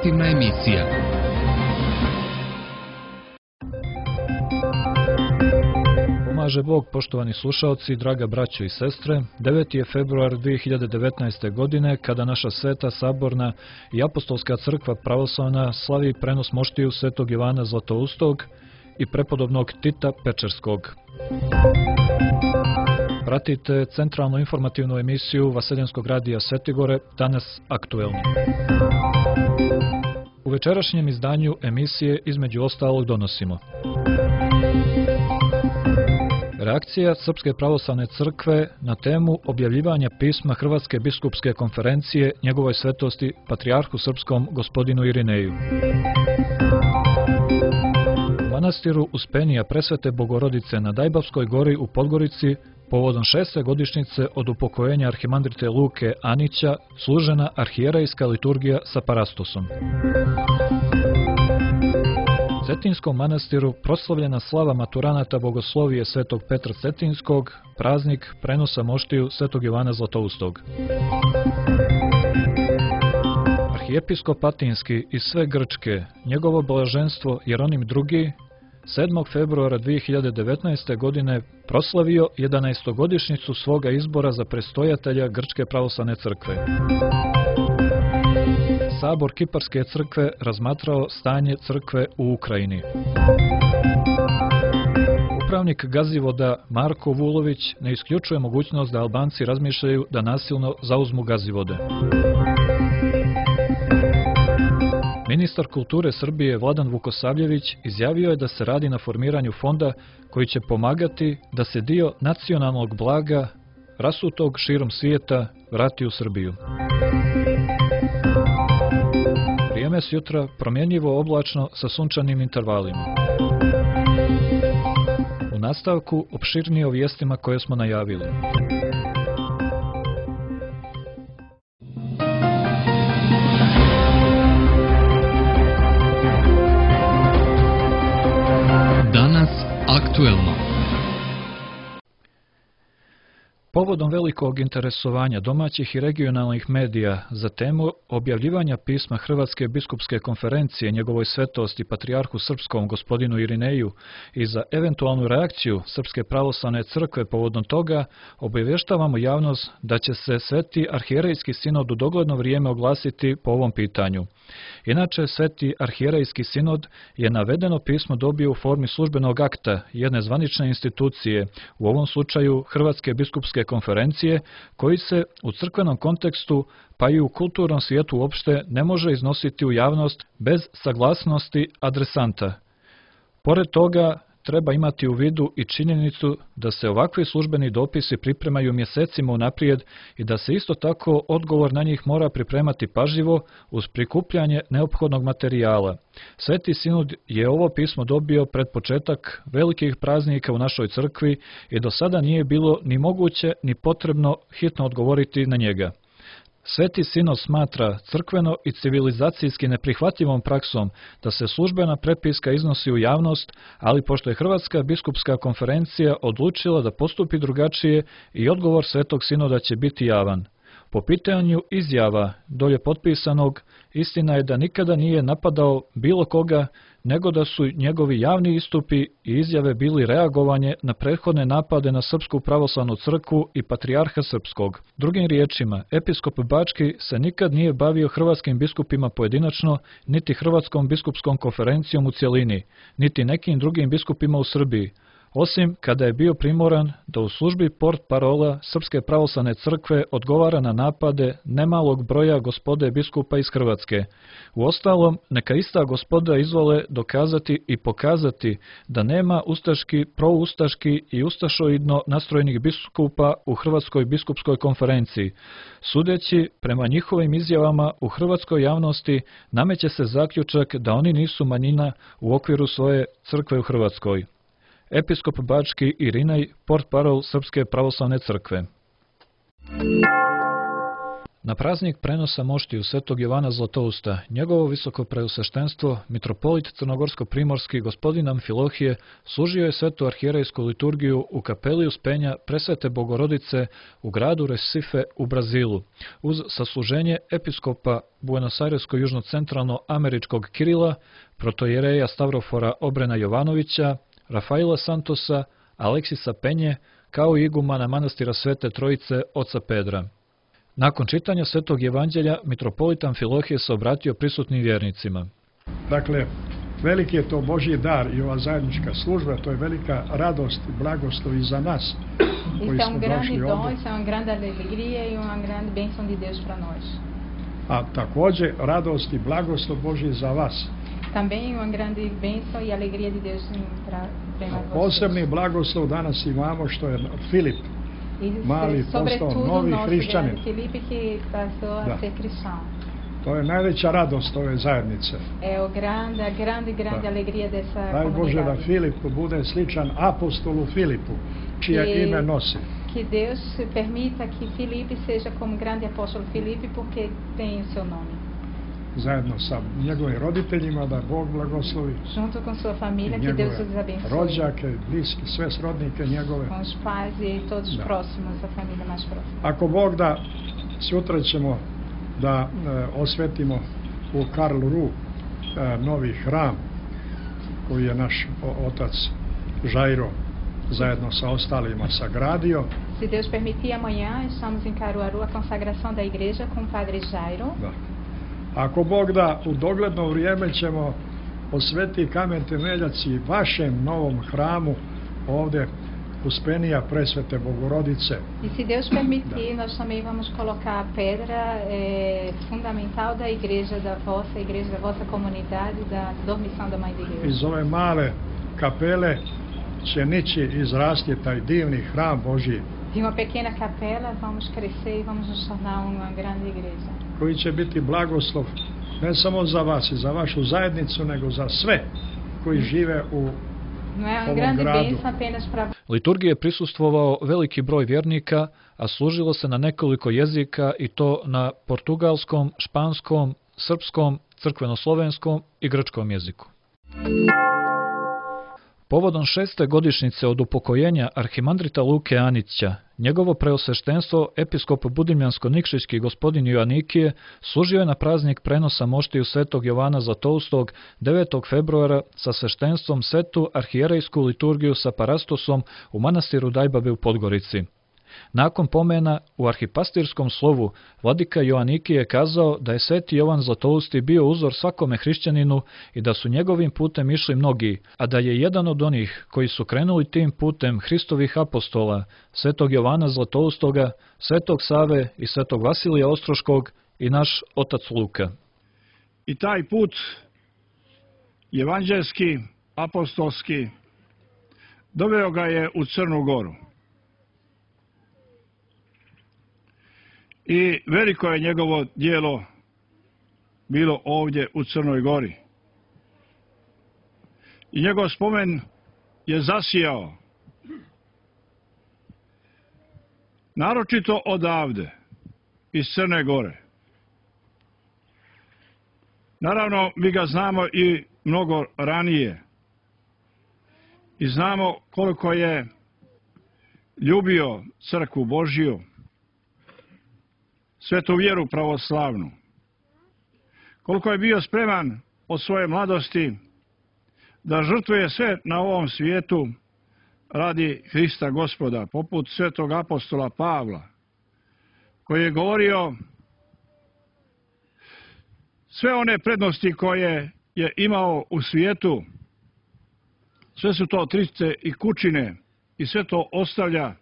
informativna emisija. Pomaže Bog, poštovani slušaoci, draga braćo i sestre. 9. je februar 2019. godine kada naša sveta, saborna i apostolska crkva pravoslavna slavi prenos moštiju svetog Ivana Zlatoustog i prepodobnog Tita Pečerskog. Pratite centralnu informativnu emisiju Vaseljenskog radija Svetigore, danas aktuelno. U večerašnjem izdanju emisije između ostalog donosimo: reakcija Srpske pravoslavne crkve na temu objavljivanja pisma Hrvatske biskupske konferencije njegovoj svetosti Patrijarhu Srpskom gospodinu Irineju. U manastiru Uspenija Presvete Bogorodice na Dajbavskoj gori u Podgorici povodom 6. godišnjice od upokojenja arhimandrite Luke Anića služena arhijerejska liturgija sa parastosom. U Cetinskom manastiru proslavljena slava maturanata bogoslovije svetog Petra Cetinskog, praznik prenosa moštiju svetog Ivana Zlatoustog. Arhijepiskop Atinski iz sve Grčke, njegovo blaženstvo Jeronim II, 7. februara 2019. godine proslavio 11. godišnjicu svoga izbora za prestojatelja Grčke pravoslavne crkve. Sabor Kiparske crkve razmatrao stanje crkve u Ukrajini. Upravnik Gazivoda Marko Vulović ne isključuje mogućnost da Albanci razmišljaju da nasilno zauzmu Gazivode. Ministar kulture Srbije Vladan Vukosavljević izjavio je da se radi na formiranju fonda koji će pomagati da se dio nacionalnog blaga rasutog širom svijeta vrati u Srbiju. Vrijeme s jutra promjenjivo oblačno sa sunčanim intervalima. U nastavku opširnije o vijestima koje smo najavili. Danas aktuelno. Povodom velikog interesovanja domaćih i regionalnih medija za temu objavljivanja pisma Hrvatske biskupske konferencije njegovoj svetosti Patrijarhu Srpskom gospodinu Irineju i za eventualnu reakciju Srpske pravoslavne crkve povodom toga, obavještavamo javnost da će se Sveti arhijerejski sinod u dogledno vrijeme oglasiti po ovom pitanju. Inače, Sveti arhijerejski sinod je navedeno pismo dobio u formi službenog akta jedne zvanične institucije, u ovom slučaju Hrvatske biskupske konferencije, koji se u crkvenom kontekstu pa i u kulturnom svijetu uopšte ne može iznositi u javnost bez saglasnosti adresanta. Pored toga, treba imati u vidu i činjenicu da se ovakvi službeni dopisi pripremaju mjesecima unaprijed i da se isto tako odgovor na njih mora pripremati pažljivo uz prikupljanje neophodnog materijala. Sveti sinod je ovo pismo dobio pred početak velikih praznika u našoj crkvi i do sada nije bilo ni moguće ni potrebno hitno odgovoriti na njega. Sveti sinod smatra crkveno i civilizacijski neprihvatljivom praksom da se službena prepiska iznosi u javnost, ali pošto je Hrvatska biskupska konferencija odlučila da postupi drugačije i odgovor Svetog sinoda će biti javan. Po pitanju izjava dolje potpisanog, istina je da nikada nije napadao bilo koga, nego da su njegovi javni istupi i izjave bili reagovanje na prethodne napade na Srpsku pravoslavnu crkvu i Patrijarha Srpskog. Drugim riječima, episkop Bački se nikad nije bavio hrvatskim biskupima pojedinačno, niti Hrvatskom biskupskom konferencijom u cjelini, niti nekim drugim biskupima u Srbiji, osim kada je bio primoran da u službi portparola Srpske pravoslavne crkve odgovara na napade nemalog broja gospode biskupa iz Hrvatske. Uostalom, neka ista gospoda izvole dokazati i pokazati da nema ustaški, proustaški i ustašoidno nastrojenih biskupa u Hrvatskoj biskupskoj konferenciji. Sudeći prema njihovim izjavama u hrvatskoj javnosti, nameće se zaključak da oni nisu manjina u okviru svoje crkve u Hrvatskoj. Episkop Bački Irinej, portparol Srpske pravoslavne crkve. Na praznik prenosa moštiju svetog Jovana Zlatousta, njegovo visoko preosveštenstvo, mitropolit crnogorsko-primorski gospodin Amfilohije, služio je svetu arhijerejsku liturgiju u kapeli Uspenja Presvete Bogorodice u gradu Recife u Brazilu, uz sasluženje episkopa Buenos-Airesko-južno-centralno-američkog Kirila, protojereja Stavrofora Obrena Jovanovića, Rafaila Santosa, Aleksisa Penje, kao i igumana manastira Svete Trojice oca Pedra. Nakon čitanja Svetog evanđelja, mitropolit Amfilohije se obratio prisutnim vjernicima. Dakle, veliki je to Božji dar i ova zajednička služba, to je velika radost i blagoslov i za nas koji smo došli ovdje. Isso é uma grande alegria e uma grande bênção de Deus para nós. A također radost i blagoslov Božji za vas. Também uma grande bênção e alegria de Deus para vocês. Posebni blagoslov danas imamo što je Filip mali postao Sobretudo novi nosso hrišćanin. grande Felipe que passou a ser cristão. To je najveća radost ove zajednice. É a grande alegria dessa Daj Bože da comunidade. Filip bude sličan apostolu Filipu, čije ime nosi. Que Deus permita que Felipe seja como grande apóstolo Felipe porque tem o seu nome. Zajedno sa njegovim roditeljima da Bog blagoslovi. Junto com sua família, que Deus os abençoe. Rođake, bliski, sve srodnike njegove. Com os pais e todos os próximos, a família mais próxima. Ako Bog da, sutra ćemo da osvetimo u Karlsruhe novi hram koji je naš otac Jairo zajedno sa ostalima sagradio. Se Deus permitir, amanhã estamos em Caruaru a consagração da igreja com o padre Jairo. Da. Ako Bog da, u dogledno vrijeme ćemo osveti kamen temeljac i vašem novom hramu ovdje Uspenija Presvete Bogorodice. E se Deus permitir, nós também vamos colocar a pedra fundamental da igreja da vossa comunidade, da dormição da Mãe de Deus. Iz ove male kapele će nići izrasti taj divni hram Božji. De uma pequena capela vamos crescer e vamos nos tornar uma grande igreja. Koji će biti blagoslov ne samo za vas i za vašu zajednicu, nego za sve koji žive u Não é uma ovom grande gradu. bênção apenas para Liturgiji je prisustvovao veliki broj vjernika, a služilo se na nekoliko jezika i to na portugalskom, španskom, srpskom, crkveno-slovenskom i grčkom jeziku. Povodom 6. godišnjice od upokojenja arhimandrita Luke Anića, njegovo preosveštenstvo episkop Budimljansko-Nikšićki gospodin Joanikije služio je na praznik prenosa moštiju svetog Jovana Zlatoustog 9. februara sa sveštenstvom svetu arhijerejsku liturgiju sa parastosom u manastiru Dajbabe u Podgorici. Nakon pomena u arhipastirskom slovu, vladika Joanikije je kazao da je sveti Jovan Zlatousti bio uzor svakome hrišćaninu i da su njegovim putem išli mnogi, a da je jedan od onih koji su krenuli tim putem Hristovih apostola, svetog Jovana Zlatoustoga, svetog Save i svetog Vasilija Ostroškog i naš otac Luka. I taj put evanđelski, apostolski, doveo ga je u Crnu Goru. I veliko je njegovo djelo bilo ovdje u Crnoj Gori. I njegov spomen je zasijao. Naročito odavde, iz Crne Gore. Naravno, mi ga znamo i mnogo ranije. I znamo koliko je ljubio crkvu Božju, svetu vjeru pravoslavnu. Koliko je bio spreman od svoje mladosti da žrtvuje sve na ovom svijetu radi Hrista Gospoda, poput svetog apostola Pavla, koji je govorio sve one prednosti koje je imao u svijetu, sve su to trice i kućine i sve to ostavlja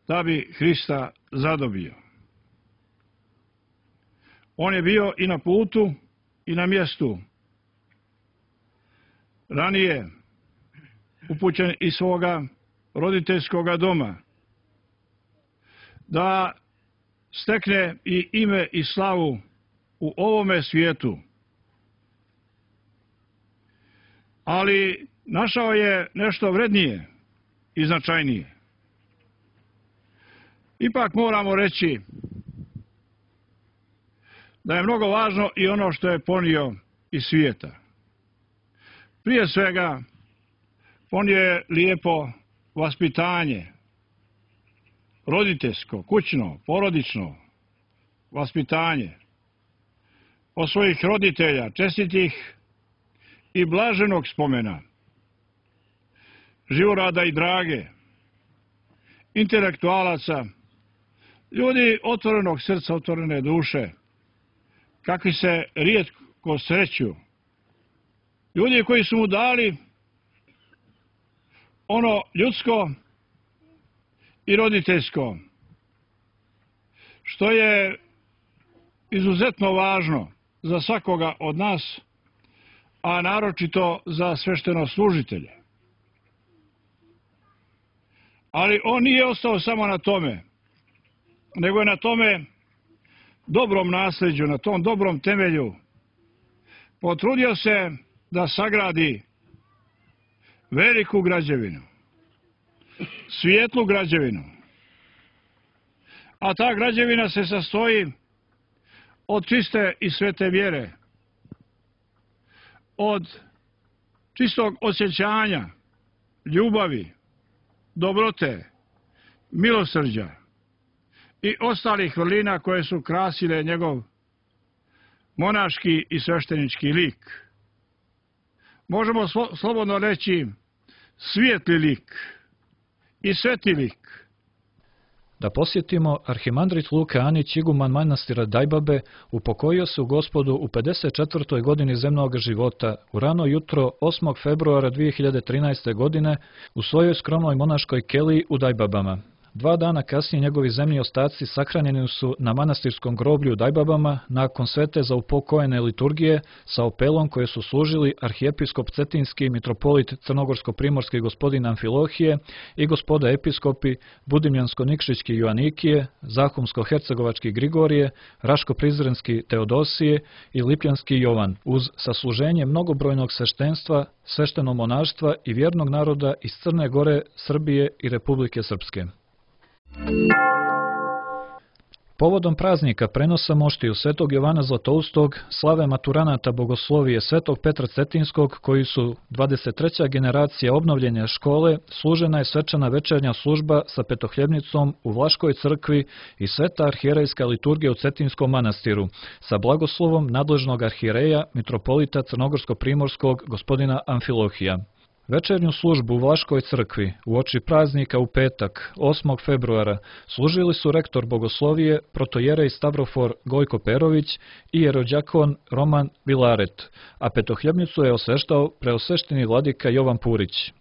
da bi Hrista zadobio. On je bio i na putu i na mjestu. Ranije upućen iz svoga roditeljskoga doma da stekne i ime i slavu u ovome svijetu. Ali našao je nešto vrednije i značajnije. Ipak moramo reći da je mnogo važno i ono što je ponio iz svijeta. Prije svega, ponio je lijepo vaspitanje, roditeljsko, kućno, porodično vaspitanje od svojih roditelja, čestitih i blaženog spomena, Živorada i Drage, intelektualaca, ljudi otvorenog srca, otvorene duše, kakvi se rijetko sreću, ljudi koji su mu dali ono ljudsko i roditeljsko, što je izuzetno važno za svakoga od nas, a naročito za sveštenoslужitelje. Ali on nije ostao samo na tome, nego je na tome dobrom nasljeđu, na tom dobrom temelju potrudio se da sagradi veliku građevinu, svijetlu građevinu. A ta građevina se sastoji od čiste i svete vjere, od čistog osjećanja, ljubavi, dobrote, milosrđa i ostalih vrlina koje su krasile njegov monaški i sveštenički lik. Možemo slobodno reći svijetli lik i sveti lik. Da posjetimo, arhimandrit Luka Anić, iguman manastira Dajbabe, upokojio se u Gospodu u 54. godini zemnog života u rano jutro 8. februara 2013. godine u svojoj skromnoj monaškoj keliji u Dajbabama. 2 dana kasnije njegovi zemni ostaci sahranjeni su na manastirskom groblju u Dajbabama nakon svete za upokojene liturgije sa opelom koje su služili arhijepiskop Cetinski, mitropolit Crnogorsko-primorski gospodin Amfilohije i gospoda episkopi Budimljansko-Nikšićki Joanikije, Zahumsko-Hercegovački Grigorije, Raško-Prizrenski Teodosije i Lipljanski Jovan, uz sasluženje mnogobrojnog sveštenstva, sveštenog monaštva i vjernog naroda iz Crne Gore, Srbije i Republike Srpske. Povodom praznika prenosa moštiju Svetog Jovana Zlatoustog, slave maturanata bogoslovije Svetog Petra Cetinskog, koji su 23. generacija obnovljenja škole, služena je svečana večernja služba sa petohljebnicom u Vlaškoj crkvi i sveta arhijerejska liturgija u Cetinskom manastiru, sa blagoslovom nadležnog arhijereja, mitropolita Crnogorsko-primorskog gospodina Amfilohija. Večernju službu u Vlaškoj crkvi uoči praznika u petak, 8. februara, služili su rektor bogoslovije, protojerej Stavrofor Gojko Perović i jerođakon Roman Vilaret, a petohljebnicu je osveštao preosvešteni vladika Jovan Purić.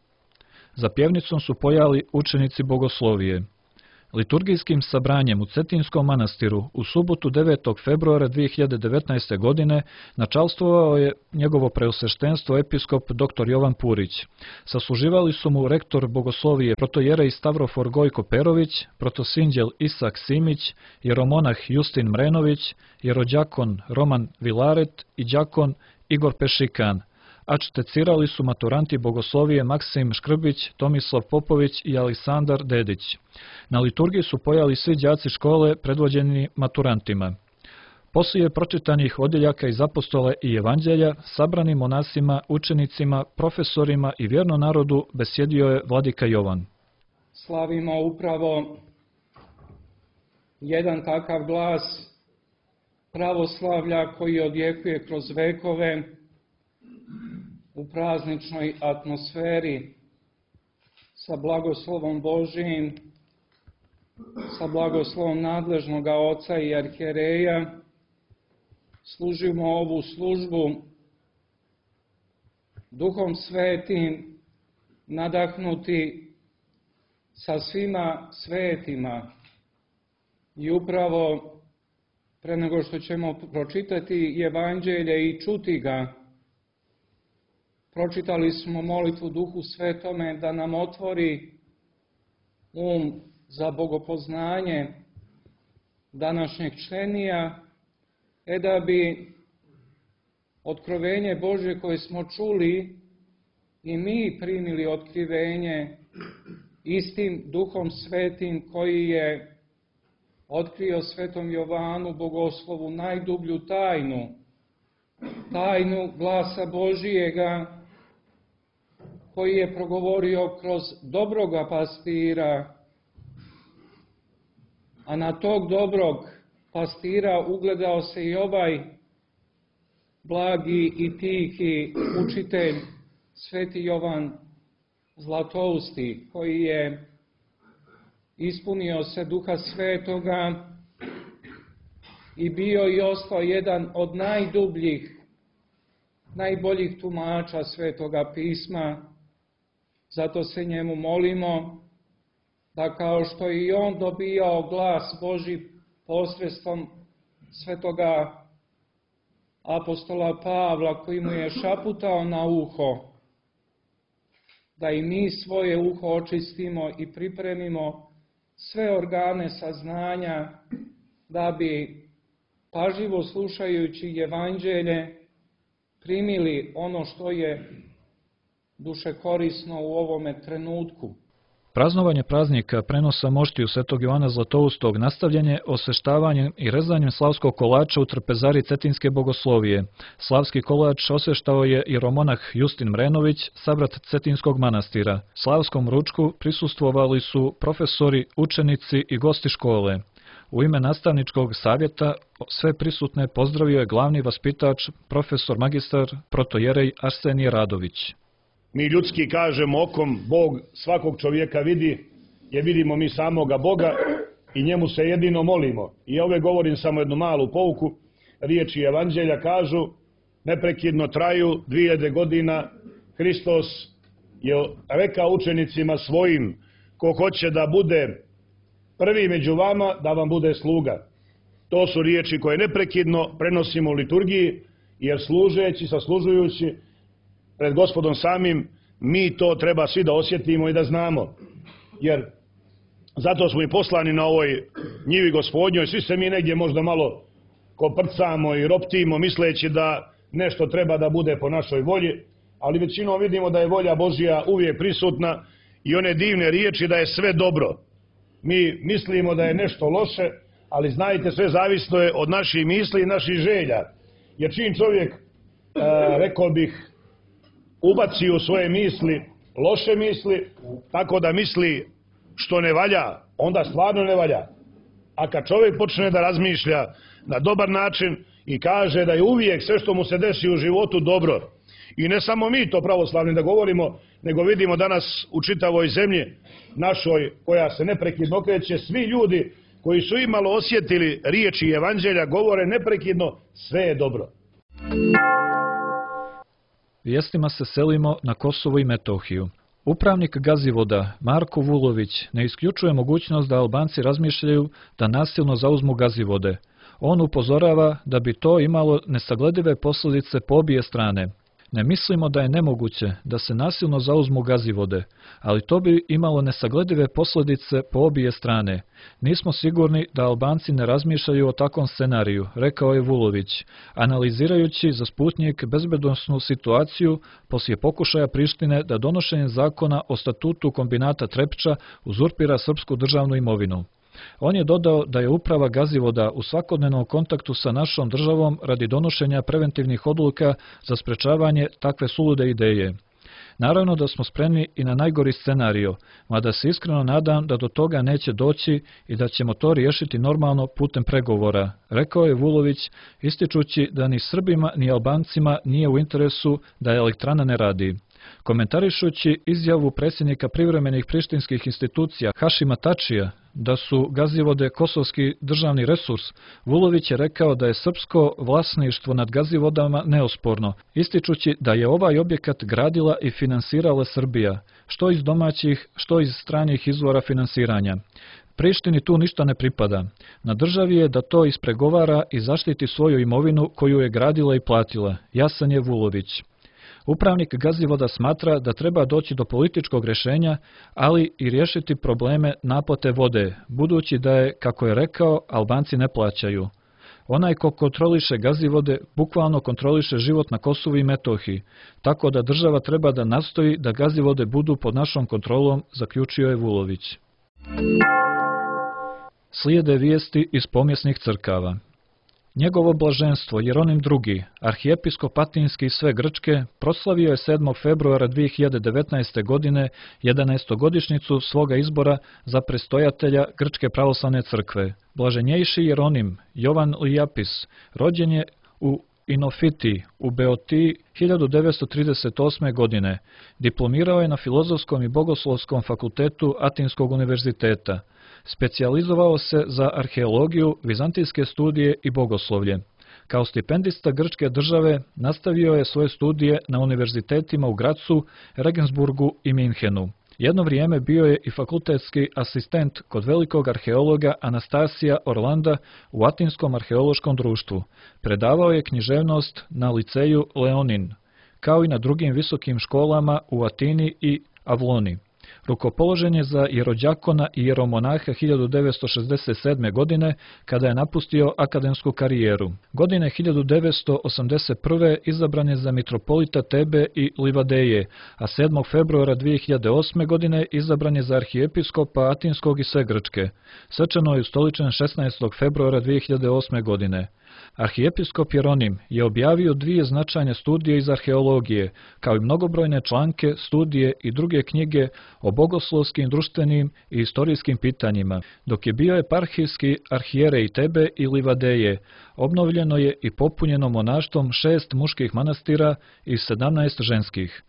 Za pjevnicom su pojali učenici bogoslovije. Liturgijskim sabranjem u Cetinskom manastiru u subotu 9. februara 2019. godine načalstvovao je njegovo preosveštenstvo episkop dr. Jovan Purić. Sasluživali su mu rektor bogoslovije protojerej Stavrofor Gojko Perović, protosinđel Isak Simić, jeromonah Justin Mrenović, jerođakon Roman Vilaret i đakon Igor Pešikan, a čtecirali su maturanti bogoslovije Maksim Škrbić, Tomislav Popović i Aleksandar Dedić. Na liturgiji su pojali svi đaci škole predvođeni maturantima. Poslije pročitanih odjeljaka iz apostole i evanđelja, sabrani monasima, učenicima, profesorima i vjernom narodu besjedio je vladika Jovan. Slavimo upravo jedan takav glas pravoslavlja koji odjekuje kroz vekove u prazničnoj atmosferi sa blagoslovom Božijim, sa blagoslovom nadležnog oca i arhijereja. Služimo ovu službu Duhom Svetim, nadahnuti sa svima svetima. I upravo pre nego što ćemo pročitati evanđelje i čuti ga, pročitali smo molitvu Duhu Svetome da nam otvori za bogopoznanje današnjeg členija, da bi otkrovenje Božje koje smo čuli i mi primili otkrivenje istim Duhom Svetim koji je otkrio svetom Jovanu Bogoslovu najdublju tajnu, tajnu glasa Božijega, koji je progovorio kroz dobroga pastira, a na tog dobrog pastira ugledao se i ovaj blagi i tihi učitelj, sveti Jovan Zlatousti, koji je ispunio se Duha Svetoga i bio i ostao jedan od najdubljih, najboljih tumača Svetoga pisma. Zato se njemu molimo da kao što je i on dobijao glas Božji posredstvom svetoga apostola Pavla koji mu je šaputao na uho, da i mi svoje uho očistimo i pripremimo sve organe saznanja da bi, pažljivo slušajući evanđelje, primili ono što je duše korisno u ovome trenutku. Praznovanje praznika prenosa moštiju svetog Jovana Zlatoustog nastavljen je osveštavanjem i rezanjem slavskog kolača u trpezari Cetinske bogoslovije. Slavski kolač osveštao je jeromonah Justin Mrenović, sabrat Cetinskog manastira. Slavskom ručku prisustvovali su profesori, učenici i gosti škole. U ime nastavničkog savjeta sve prisutne pozdravio je glavni vaspitač, profesor magistar protojerej Arsenije Radović. Mi ljudski kažemo okom Bog svakog čovjeka vidi, jer vidimo mi samoga Boga i njemu se jedino molimo. I ove govorim samo jednu malu pouku. Riječi evanđelja kažu, neprekidno traju 2000 godina. Hristos je rekao učenicima svojim, ko hoće da bude prvi među vama, da vam bude sluga. To su riječi koje neprekidno prenosimo u liturgiji, jer služeći, saslužujući pred Gospodom samim, mi to treba svi da osjetimo i da znamo. Jer zato smo i poslani na ovoj njivi Gospodnjoj, svi se mi negdje možda malo koprcamo i roptimo, misleći da nešto treba da bude po našoj volji, ali većinom vidimo da je volja Božja uvijek prisutna i one divne riječi da je sve dobro. Mi mislimo da je nešto loše, ali znajte, sve zavisno je od naših misli i naših želja. Jer čim čovjek, rekao bih, ubaci u svoje misli loše misli, tako da misli što ne valja, onda stvarno ne valja. A kad čovjek počne da razmišlja na dobar način i kaže da je uvijek sve što mu se desi u životu dobro, i ne samo mi to pravoslavni da govorimo, nego vidimo danas u čitavoj zemlji našoj koja se neprekidno okreće, svi ljudi koji su imalo osjetili riječi evanđelja govore neprekidno sve je dobro. Vijestima se selimo na Kosovo i Metohiju. Upravnik Gazivoda, Marko Vulović, ne isključuje mogućnost da Albanci razmišljaju da nasilno zauzmu Gazivode. On upozorava da bi to imalo nesagledive posljedice po obje strane. Ne mislimo da je nemoguće da se nasilno zauzmu Gazivode, ali to bi imalo nesagledive posljedice po obje strane. Nismo sigurni da Albanci ne razmišljaju o takvom scenariju, rekao je Vulović, analizirajući za Sputnjik bezbednosnu situaciju poslije pokušaja Prištine da donošenjem zakona o statutu kombinata Trepča uzurpira srpsku državnu imovinu. On je dodao da je uprava Gazivoda u svakodnevnom kontaktu sa našom državom radi donošenja preventivnih odluka za sprečavanje takve sulude ideje. Naravno da smo spremni i na najgori scenario, mada se iskreno nadam da do toga neće doći i da ćemo to riješiti normalno putem pregovora, rekao je Vulović, ističući da ni Srbima ni Albancima nije u interesu da elektrana ne radi. Komentarišući izjavu predsjednika privremenih prištinskih institucija Hašima Tačija da su Gazivode kosovski državni resurs, Vulović je rekao da je srpsko vlasništvo nad Gazivodama neosporno, ističući da je ovaj objekat gradila i finansirala Srbija, što iz domaćih, što iz stranih izvora finansiranja. Prištini tu ništa ne pripada. Na državi je da to ispregovara i zaštiti svoju imovinu koju je gradila i platila, jasan je Vulović. Upravnik Gazivoda smatra da treba doći do političkog rješenja, ali i riješiti probleme naplate vode, budući da je, kako je rekao, Albanci ne plaćaju. Onaj ko kontroliše Gazivode bukvalno kontroliše život na Kosovu i Metohiji, tako da država treba da nastoji da Gazivode budu pod našom kontrolom, zaključio je Vulović. Slijede vijesti iz pomjesnih crkava. Njegovo blaženstvo Jeronim II, arhijepiskop Atinski i sve Grčke, proslavio je 7. februara 2019. godine 11. svoga izbora za prestojatelja Grčke pravoslavne crkve. Blaženjejši Jeronim Jovan Lijapis rođen je u Inofiti u Beotiji 1938. godine. Diplomirao je na Filozofskom i Bogoslovskom fakultetu Atinskog univerziteta. Specijalizovao se za arheologiju, vizantijske studije i bogoslovlje. Kao stipendista grčke države nastavio je svoje studije na univerzitetima u Gracu, Regensburgu i Minhenu. Jedno vrijeme bio je i fakultetski asistent kod velikog arheologa Anastasija Orlanda u Atinskom arheološkom društvu. Predavao je književnost na liceju Leonin, kao i na drugim visokim školama u Atini i Avloni. Rukopoložen je za jerođakona i jeromonaha 1967. godine, kada je napustio akademsku karijeru. Godine 1981. izabran je za mitropolita Tebe i Livadeje, a 7. februara 2008. godine izabran je za arhijepiskopa Atinskog i sve Grčke. Svečano je ustoličen 16. februara 2008. godine. Arhijepiskop Jeronim je objavio 2 značajne studije iz arheologije, kao i mnogobrojne članke, studije i druge knjige o bogoslovskim, društvenim i istorijskim pitanjima. Dok je bio eparhijski arhijerej Tebe i Livadeje, obnovljeno je i popunjeno monaštvom 6 muških manastira i 17 ženskih.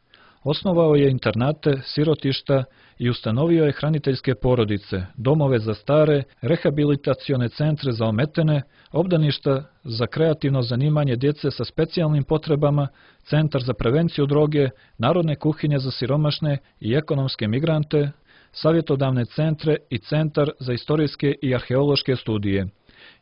Osnovao je internate, sirotišta i ustanovio je hraniteljske porodice, domove za stare, rehabilitacione centre za ometene, obdaništa za kreativno zanimanje djece sa specijalnim potrebama, centar za prevenciju droge, narodne kuhinje za siromašne i ekonomske migrante, savjetodavne centre i centar za istorijske i arheološke studije.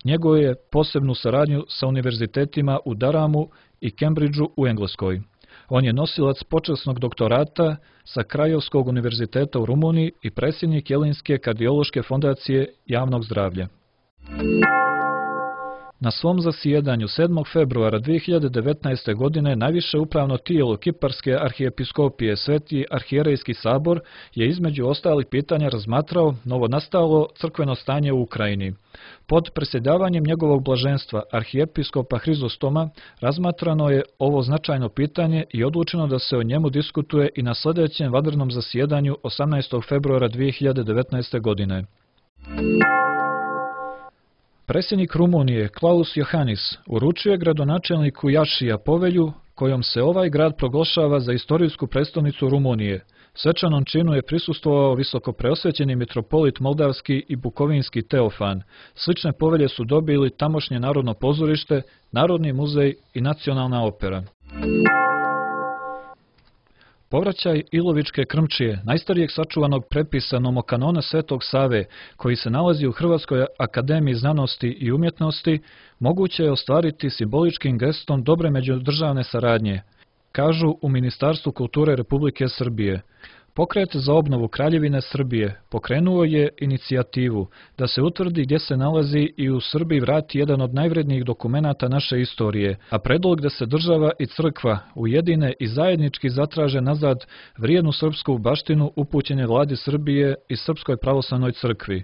Njeguje je posebnu saradnju sa univerzitetima u Daramu i Cambridgeu u Engleskoj. On je nosilac počasnog doktorata sa Krajovskog univerziteta u Rumuniji i predsjednik Jelinske kardiološke fondacije javnog zdravlja. Na svom zasjedanju 7. februara 2019. godine najviše upravno tijelo Kiparske arhijepiskopije Sveti arhijerejski sabor je između ostalih pitanja razmatrao novonastalo crkveno stanje u Ukrajini. Pod predsjedavanjem njegovog blaženstva arhijepiskopa Hrizostoma razmatrano je ovo značajno pitanje i odlučeno da se o njemu diskutuje i na sljedećem vanrednom zasjedanju 18. februara 2019. godine. Predsjednik Rumunije Klaus Iohannis uručio je gradonačelniku Jašija povelju kojom se ovaj grad proglašava za istorijsku prestolnicu Rumunije. Svečanom činu je prisustvovao visokopreosvećeni mitropolit moldavski i bukovinski Teofan. Slične povelje su dobili tamošnje Narodno pozorište, Narodni muzej i Nacionalna opera. Povraćaj Ilovičke krmčije, najstarijeg sačuvanog prepisa nomokanona Svetog Save, koji se nalazi u Hrvatskoj akademiji znanosti i umjetnosti, moguće je ostvariti simboličkim gestom dobre međudržavne saradnje, kažu u Ministarstvu kulture Republike Srbije. Pokret za obnovu Kraljevine Srbije pokrenuo je inicijativu da se utvrdi gdje se nalazi i u Srbiji vrati jedan od najvrednijih dokumenata naše istorije, a predlog da se država i crkva ujedine i zajednički zatraže nazad vrijednu srpsku baštinu upućene vladi Srbije i Srpskoj pravoslavnoj crkvi.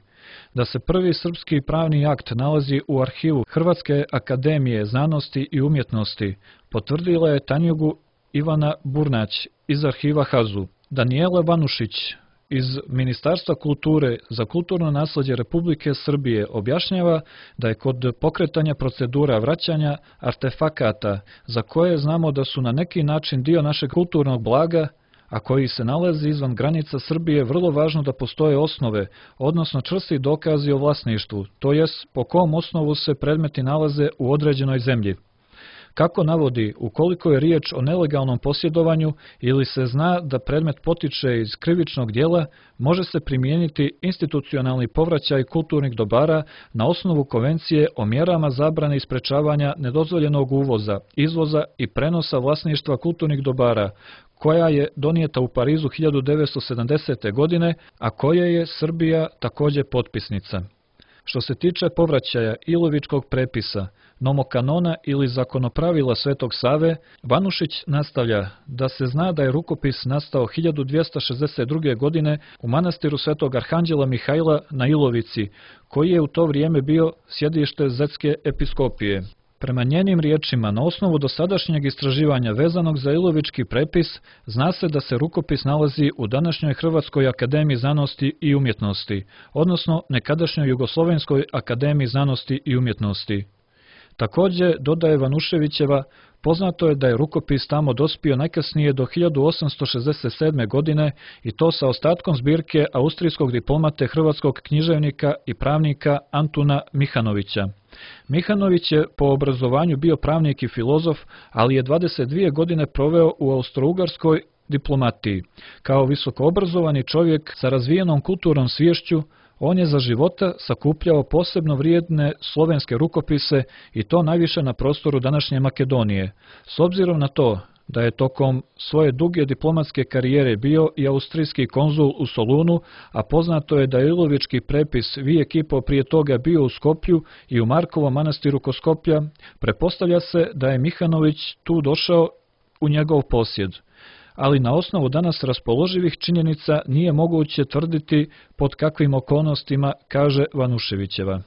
Da se prvi srpski pravni akt nalazi u arhivu Hrvatske akademije znanosti i umjetnosti, potvrdila je Tanjugu Ivana Burnać iz arhiva HAZU. Danijela Vanušić iz Ministarstva kulture za kulturno naslijeđe Republike Srbije objašnjava da je kod pokretanja procedura vraćanja artefakata, za koje znamo da su na neki način dio našeg kulturnog blaga, a koji se nalazi izvan granica Srbije, vrlo važno da postoje osnove, odnosno čvrsti dokazi o vlasništvu, to jest po kom osnovu se predmeti nalaze u određenoj zemlji. Kako navodi, ukoliko je riječ o nelegalnom posjedovanju ili se zna da predmet potiče iz krivičnog djela, može se primijeniti institucionalni povraćaj kulturnih dobara na osnovu Konvencije o mjerama zabrane i sprečavanja nedozvoljenog uvoza, izvoza i prenosa vlasništva kulturnih dobara, koja je donijeta u Parizu 1970. godine, a koje je Srbija također potpisnica. Što se tiče povraćaja Ilovičkog prepisa, nomokanona ili zakonopravila Svetog Save, Vanušić nastavlja da se zna da je rukopis nastao 1262. godine u manastiru Svetog Arhanđela Mihajla na Ilovici, koji je u to vrijeme bio sjedište Zetske episkopije. Prema njenim riječima, na osnovu dosadašnjeg istraživanja vezanog za Ilovički prepis, zna se da se rukopis nalazi u današnjoj Hrvatskoj akademiji znanosti i umjetnosti, odnosno nekadašnjoj Jugoslovenskoj akademiji znanosti i umjetnosti. Također, dodaje Vanuševićeva, poznato je da je rukopis tamo dospio najkasnije do 1867. godine i to sa ostatkom zbirke austrijskog diplomate hrvatskog književnika i pravnika Antuna Mihanovića. Mihanović je po obrazovanju bio pravnik i filozof, ali je 22 godine proveo u austrougarskoj diplomatiji. Kao visokoobrazovani čovjek sa razvijenom kulturnom sviješću, on je za života sakupljao posebno vrijedne slovenske rukopise i to najviše na prostoru današnje Makedonije. S obzirom na to da je tokom svoje duge diplomatske karijere bio i austrijski konzul u Solunu, a poznato je da je Ilovički prepis vijek i po prije toga bio u Skoplju i u Markovom manastiru kod Skoplja, pretpostavlja se da je Mihanović tu došao u njegov posjed. Ali na osnovu danas raspoloživih činjenica nije moguće tvrditi pod kakvim okolnostima, kaže Vanuševićeva.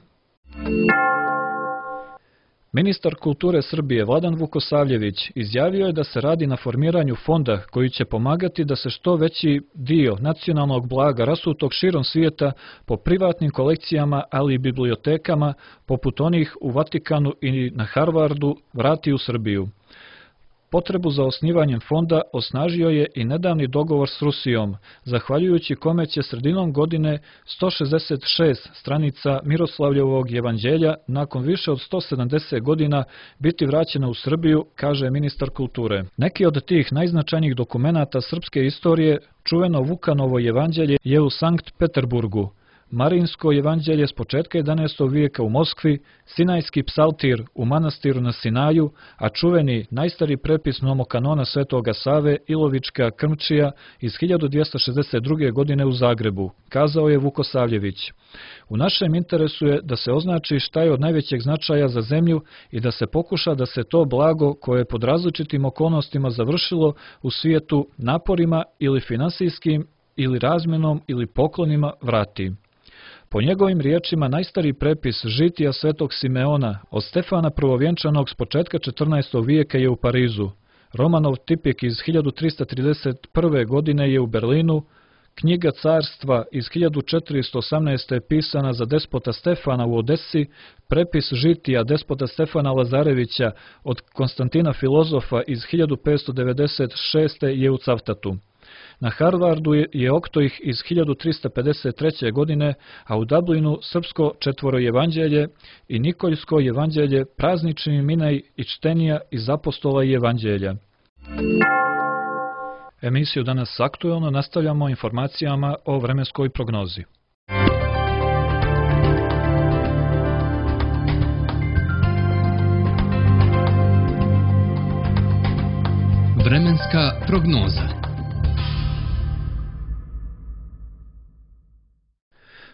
Ministar kulture Srbije Vladan Vukosavljević izjavio je da se radi na formiranju fonda koji će pomagati da se što veći dio nacionalnog blaga rasutog širom svijeta po privatnim kolekcijama, ali i bibliotekama, poput onih u Vatikanu i na Harvardu, vrati u Srbiju. Potrebu za osnivanjem fonda osnažio je i nedavni dogovor s Rusijom, zahvaljujući kome će sredinom godine 166 stranica Miroslavljevog evanđelja nakon više od 170 godina biti vraćena u Srbiju, kaže ministar kulture. Neki od tih najznačajnijih dokumenata srpske istorije, čuveno Vukanovo evanđelje, je u Sankt Peterburgu, Marinsko evanđelje s početka 11. vijeka u Moskvi, Sinajski psaltir u manastiru na Sinaju, a čuveni najstari prepis nomokanona Svetoga Save Ilovička Krmčija iz 1262. godine u Zagrebu, kazao je Vukosavljević. U našem interesu je da se označi šta je od najvećeg značaja za zemlju i da se pokuša da se to blago koje je pod različitim okolnostima završilo u svijetu naporima ili finansijskim ili razmjenom ili poklonima vrati. Po njegovim riječima, najstariji prepis žitija Svetog Simeona od Stefana Prvovjenčanog s početka 14. vijeka je u Parizu. Romanov tipik iz 1331. godine je u Berlinu, knjiga carstva iz 1418. je pisana za despota Stefana u Odesi, prepis žitija despota Stefana Lazarevića od Konstantina Filozofa iz 1596. je u Cavtatu. Na Harvardu je Oktoih iz 1353. godine, a u Dublinu srpsko četvorojevanđelje i Nikoljsko evanđelje praznični minaj i čtenija iz apostola i evanđelja. Emisiju Danas aktuelno nastavljamo informacijama o vremenskoj prognozi. Vremenska prognoza.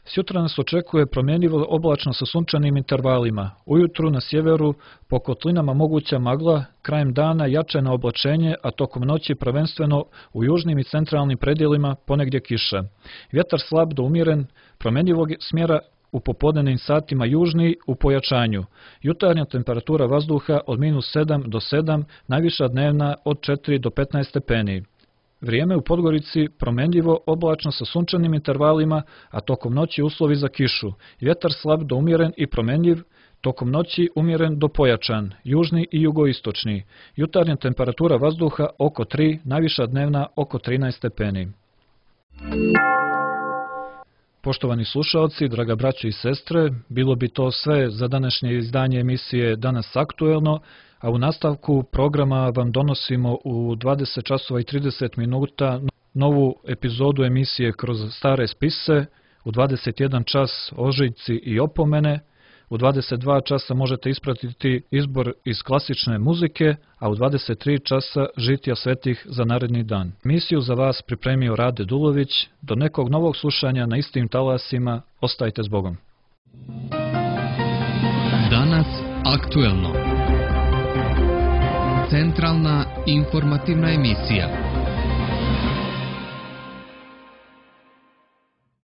Sutra nas očekuje promjenjivo oblačno sa sunčanim intervalima. Ujutru na sjeveru po kotlinama moguća magla, krajem dana jačeno oblačenje, a tokom noći prvenstveno u južnim i centralnim predjelima ponegdje kiša. Vjetar slab do umjeren, promjenjivog smjera u popodnevnim satima južni u pojačanju. Jutarnja temperatura vazduha od -7 do 7, najviša dnevna od 4 do 15 stepeni. Vrijeme u Podgorici promjenjivo oblačno sa sunčanim intervalima, a tokom noći uslovi za kišu. Vjetar slab do umjeren i promjenjiv, tokom noći umjeren do pojačan, južni i jugoistočni. Jutarnja temperatura vazduha oko 3, najviša dnevna oko 13 stepeni. Poštovani slušalci, draga braćo i sestre, bilo bi to sve za današnje izdanje emisije Danas aktuelno, a u nastavku programa vam donosimo u 20 časova i 30 minuta novu epizodu emisije Kroz stare spise, u 21 čas ožiljci i opomene, u 22 časa možete ispratiti izbor iz klasične muzike, a u 23 časa žitija svetih za naredni dan. Emisiju za vas pripremio Rade Dulović. Do nekog novog slušanja na istim talasima, ostajte s Bogom. Danas aktuelno. Centralna informativna emisija.